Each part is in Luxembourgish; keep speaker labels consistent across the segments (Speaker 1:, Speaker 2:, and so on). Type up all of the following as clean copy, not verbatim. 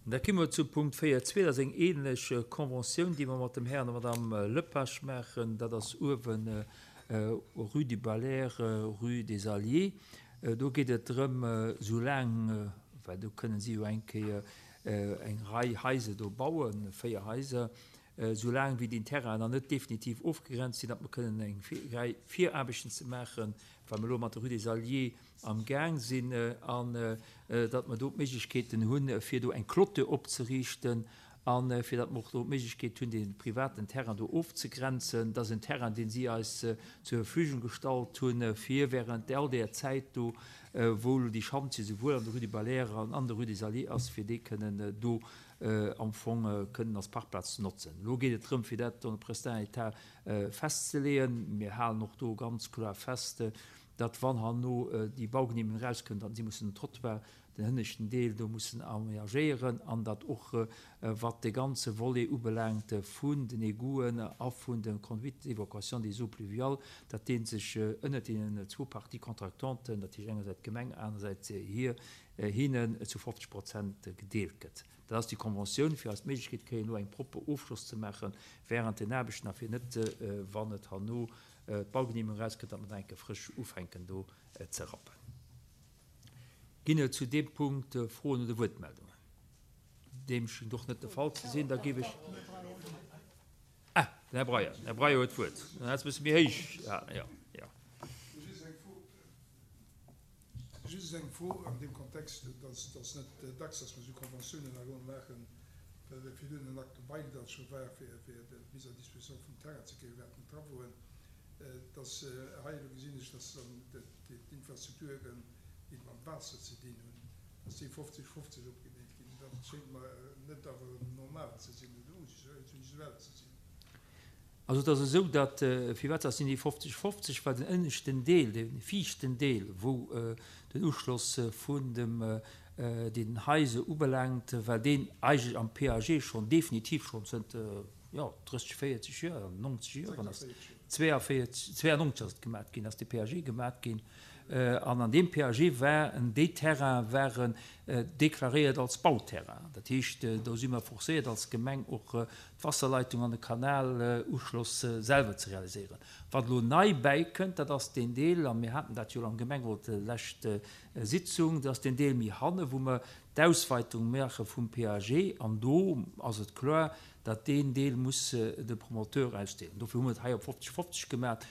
Speaker 1: Da komme mer zum Punkt 4.2. Dat ass eng ähnlech Conventioun, déi mer mat dem Här an der Madame Lepage maachen. Dat ass uewen Rue du Belair, Rue des Alliés. Do geet et drëm, soulaang, well do kënnen si jo eng Kéier eng Rei Haiser do bauen, 4 Haiser, soulaang wéi deen Terrain nach net definitiv ofgegrenzt sinn, datt mer kënnen eng Rei Viraarbechten ze maachen, well mer elo mat der Rue des Alliés am Gaang sinn, an datt mer do d'Méiglechkeeten hunn, fir do eng Clôture opzeriichten a fir datt mer och do d'Méiglechkeet hunn, dee privaten Terrain do ofzegrenzen. Dat ass en Terrain, dee si eis zur Verfügung gestallt hunn, fir während all där Zäit do, wou elo déi Schantje souwuel an der Rue du Belair an an der Rue des Alliés ass, fir dee kënnen do am Fong kënnen als Parkplaz ze notzen. Elo geet et drëm, fir dat en prestant état festzeleeën. Mir halen och do ganz kloer fest, datt wann herno déi Baugenehmegung erauskënnt, datt si mussen den Trottoir, den hënneschten Deel do mussen aménagéieren an datt och wat de ganze Volet ubelaangt vun den Egouten a vun de Conduites d'évacuation des eaux pluviales, datt dee sech ënnert deenen zwou Parties contractantes, dat heescht engersäits d'Gemeng, anersäits hir, hinnen zu 50 Prozent gedeelt gëtt. Dat ass déi Conventioun, fir eis d'Méiglechkeet kréien, elo eng propper Ofschloss ze maache während den Aarbechten a fir net, wann et herno d'Baugenehmegung erauskënnt, datt mer dann eng Kéier frësch ufänken do ze rappen. Ginn et zu deem Punkt Froen oder Wuertmeldungen? Deem schéngt och net de Fall ze sinn. Da géif ech. Ah, den Här Breyer. Den Här Breyer huet d'Wuert. Dann hätt se e bësse méi héich gehalen. Jo, jo.
Speaker 2: Just eng Fro an deem Kontext, et ass net dacks, dass mer esou Konventiounen hei maachen, well virdrun en Acte de bail dat scho war, fir d'Mise à disposition vum Terrain ze kréien während den Travauxen, dass hei elo gesinn ech, dass dann d'Infrastrukturen, déi mam Waasser ze dinn hunn, dass déi 50, 50 opgedeelt ginn. Dat schéngt mer net awer normal ze sinn oder usuel ze sinn.
Speaker 1: Also et ass esou, datt, firwat ass sinn déi 50, 50, well den ënneschten Deel, dee viischten Deel, wou den Uschloss vun dem deenen Haise ubelaangt, well deen eigentlech am PAG schonn definitiv schonn zënter, jo, 30, 40 Joer, 90 Joer, wann ass 42, 92 ass et gemat ginn, ass de PAG gemat ginn. An an deem PAG waren déi Terraine waren deklaréiert als Bauterrain. Dat heescht, do si mer forcéiert als Gemeng och d'Wasserleitung an de Kanaluschloss selwer ze realiséieren. Wat elo nei bäikënnt, dat ass deen Deel, a mir haten dat jo am Gemengerot lescht Sitzung, dat ass deen Deel méi hanne wou mer d'Ausweitung maache vum PAG. An do ass et kloer, datt deen Deel muss de Promoteur ausdeelen. Dofir hu mer et hei op 50, 50 gemaach.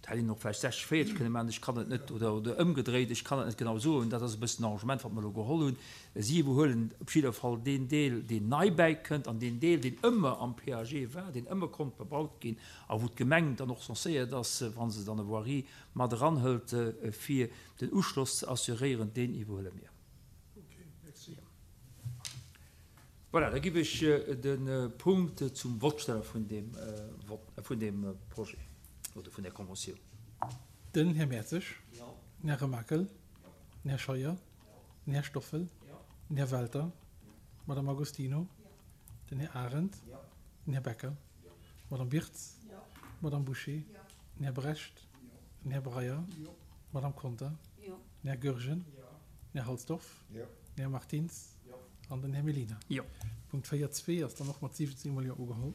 Speaker 1: Et hätt een och vläicht 60, 40 kënne maachen, ech kann et net, oder, oder ëmgedréit, ech kann et net genau soen. Dat ass e bëssen den Arrangement, wat mer elo geholl hunn. Si iwwerhuelen op jidder Fall deen Deel, deen nei bäikënnt, an deen Deel, deen ëmmer am PAG war, deen ëmmer konnt bebaut ginn a wou d'Gemeng dann och censéiert ass, wa se dann e Voirie mat eranhëlt, fir den Uschloss ze assuréieren, deen iwwerhuele mir. Voilà, da giff ech de Punkt zum Vott stelle vun deem Vott, vun deem Projet oder vun där Conventioun.
Speaker 3: Den Här Mertzig. Den Här Remakel. Den Här Scheuer. Den Här Stoffel. Den Här Welter. D'Madame Agostino. Den Här Arendt. Den Här Becker. D'Madame Wirtz. D'Madame Bouché. Den Här Brecht. Den Här Breyer. D'Madame Conter. Den Här Goergen. Den Här Halsdorf. Den Här Martins an den Här Mellina.
Speaker 1: Jo.
Speaker 3: Punkt 4.2 ass dann och mat 17 mol Jo ugeholl.